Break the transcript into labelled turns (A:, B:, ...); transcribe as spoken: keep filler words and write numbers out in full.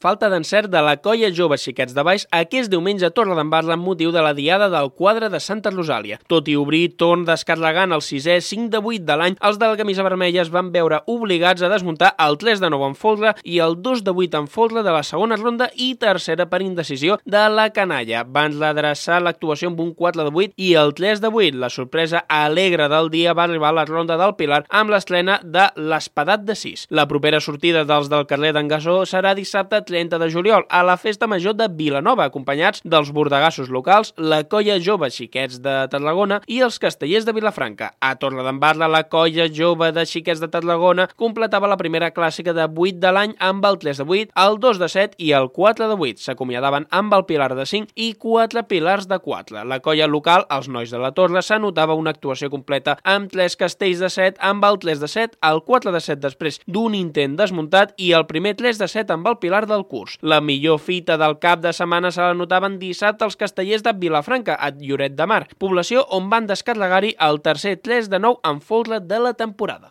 A: falta d'encert de la colla jove Xiquets de Baix aquest diumenge a Torredembarra amb motiu de la diada del quadre de Santa Rosàlia. Tot i obrir torn descarregant el sisè cinc de vuit de l'any, els de la camisa vermella es van veure obligats a desmuntar el tres de nou en folre i el dos de vuit en folre de la segona ronda i tercera per indecisió de la canalla. Van redreçar l'actuació amb un quatre de vuit i el tres de vuit. La sorpresa alegre del dia va arribar a la ronda del Pilar amb l'estrena de l'Espadat de sis. La propera sortida dels del carrer d'en Gasó serà dissabte trenta de juliol a la Festa Major de Vilanova, acompanyats dels bordegassos locals, la colla jove Xiquets de Tarragona i els castellers de Vilafranca. A Torredembarra, la colla jove de Xiquets de Tarragona completava la primera clàssica de vuit de l'any amb el tres de vuit, el dos de set i el quatre de vuit. S'acomiadaven amb el Pilar de cinc i quatre Pilars de quatre. La colla local, els nois de la Torre, s'anotava una actuació completa amb tres castells de set, amb el tres de set, el quatre de set després d'un intent desmuntat i el primer tres de set amb el Pilar del curs. La millor fita del cap de setmana se la notaven dissabte els castellers de Vilafranca, a Lloret de Mar, població on van descarregar-hi el tercer tres de nou en folre de la temporada.